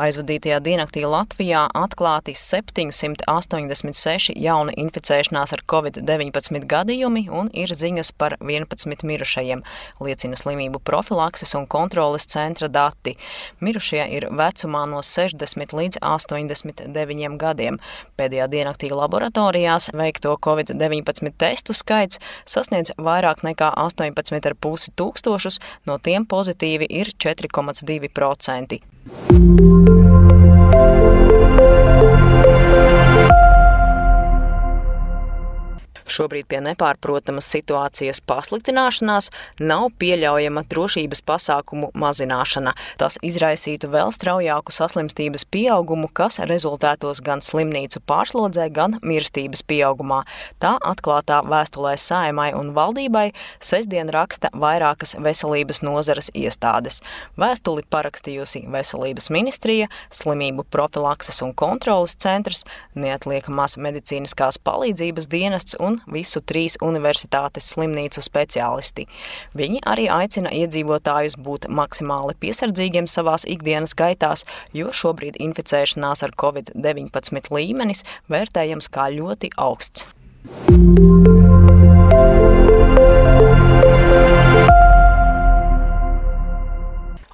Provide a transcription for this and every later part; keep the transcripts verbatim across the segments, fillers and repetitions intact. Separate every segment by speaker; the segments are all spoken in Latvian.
Speaker 1: Aizvadītajā diennaktī Latvijā atklāti septiņsimt astoņdesmit seši jauni inficēšanās ar covid deviņpadsmit gadījumi un ir ziņas par vienpadsmit mirušajiem, liecina slimību profilakses un kontroles centra dati. Mirušie ir vecumā no sešdesmit līdz astoņdesmit deviņiem gadiem. Pēdējā diennaktī laboratorijās veikto covid deviņpadsmit testu skaits sasniedz vairāk nekā astoņpadsmit ar pusi tūkstošus, no tiem pozitīvi ir četri komats divi procenti. Šobrīd pie nepārprotamas situācijas pasliktināšanās nav pieļaujama drošības pasākumu mazināšana. Tas izraisītu vēl straujāku saslimstības pieaugumu, kas rezultētos gan slimnīcu pārslodzē, gan mirstības pieaugumā. Tā atklātā vēstulē Saeimai un valdībai sestdien raksta vairākas veselības nozares iestādes. Vēstuli parakstījusi Veselības ministrija, Slimību profilakses un kontroles centrs, Neatliekamās medicīniskās palīdzības dienests un visu trīs universitātes slimnīcu speciālisti. Viņi arī aicina iedzīvotājus būt maksimāli piesardzīgiem savās ikdienas gaitās, jo šobrīd inficēšanās ar covid deviņpadsmit līmenis vērtējams kā ļoti augsts.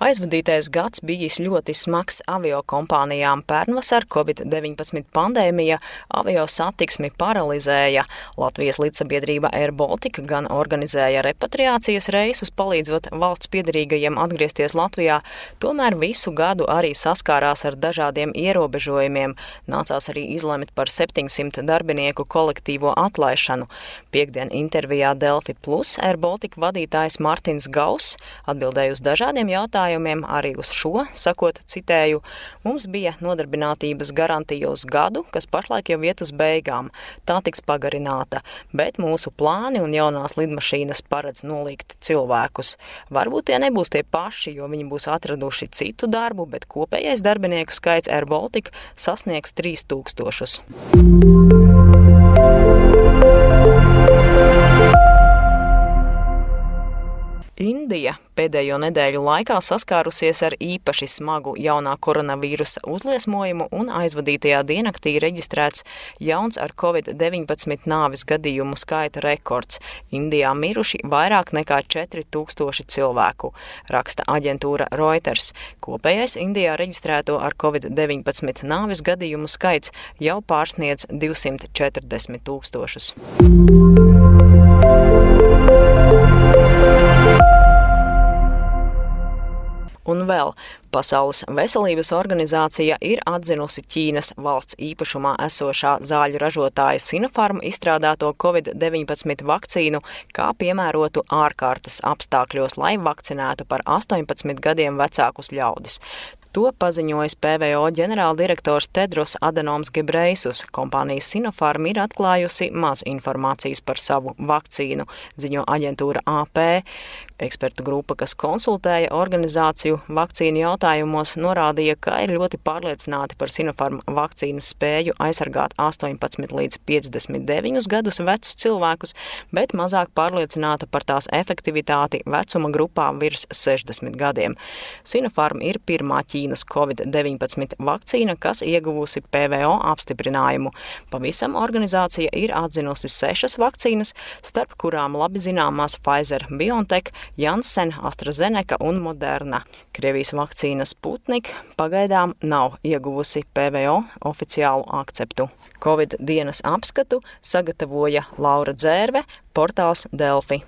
Speaker 1: Aizvadītais gads bijis ļoti smags aviokompānijām. Pērnvasar covid deviņpadsmit pandēmija avio satiksmi paralizēja. Latvijas līdzsabiedrība Air Baltica gan organizēja repatriācijas reisus, palīdzot valsts piederīgajiem atgriezties Latvijā, tomēr visu gadu arī saskārās ar dažādiem ierobežojumiem. Nācās arī izlemt par septiņsimt darbinieku kolektīvo atlaišanu. Piektdien intervijā Delfi Plus Air Baltica vadītājs Martins Gauss atbildēja uz dažādiem jautājumiem, arī uz šo, sakot, citēju, mums bija nodarbinātības garantija uz gadu, kas pašlaik jau iet uz beigām. Tā tiks pagarināta, bet mūsu plāni un jaunās lidmašīnas paredz nolikt cilvēkus. Varbūt tie nebūs tie paši, jo viņi būs atraduši citu darbu, bet kopējais darbinieku skaits Air Baltica sasniegs trīs tūkstošus. Indija pēdējo nedēļu laikā saskārusies ar īpaši smagu jaunā koronavīrusa uzliesmojumu un aizvadītajā diennaktī reģistrēts jauns ar covid deviņpadsmit nāves gadījumu skaita rekords. Indijā miruši vairāk nekā četri tūkstoši cilvēku, raksta aģentūra Reuters. Kopējais Indijā reģistrēto ar covid deviņpadsmit nāves gadījumu skaits jau pārsniedz divsimt četrdesmit tūkstošus. Un vēl Pasaules veselības organizācija ir atzinusi Ķīnas valsts īpašumā esošā zāļu ražotāja Sinopharm izstrādāto covid deviņpadsmit vakcīnu kā piemērotu ārkārtas apstākļos, lai vakcinētu par astoņpadsmit gadiem vecākus ļaudis. To paziņojis P V O ģenerāldirektors Tedros Adenoms Gebreisus. Kompānija Sinopharm ir atklājusi maz informācijas par savu vakcīnu, ziņo aģentūra A P. Ekspertu grupa, kas konsultēja organizāciju vakcīnu jautājumos, norādīja, ka ir ļoti pārliecināti par Sinopharm vakcīnas spēju aizsargāt astoņpadsmit līdz piecdesmit deviņus gadus vecus cilvēkus, bet mazāk pārliecināta par tās efektivitāti vecuma grupā virs sešdesmit gadiem. Sinopharm ir pirmā Ķīnas covid deviņpadsmit vakcīna, kas ieguvusi P V O apstiprinājumu. Pavisam organizācija ir atzinusi sešas vakcīnas, starp kurām labi zināmās Pfizer, BioNTech, Janssen, AstraZeneca un Moderna. Krievijas vakcīna Sputnik pagaidām nav ieguvusi P V O oficiālu akceptu. Covid dienas apskatu sagatavoja Laura Dzērve, portāls Delfi.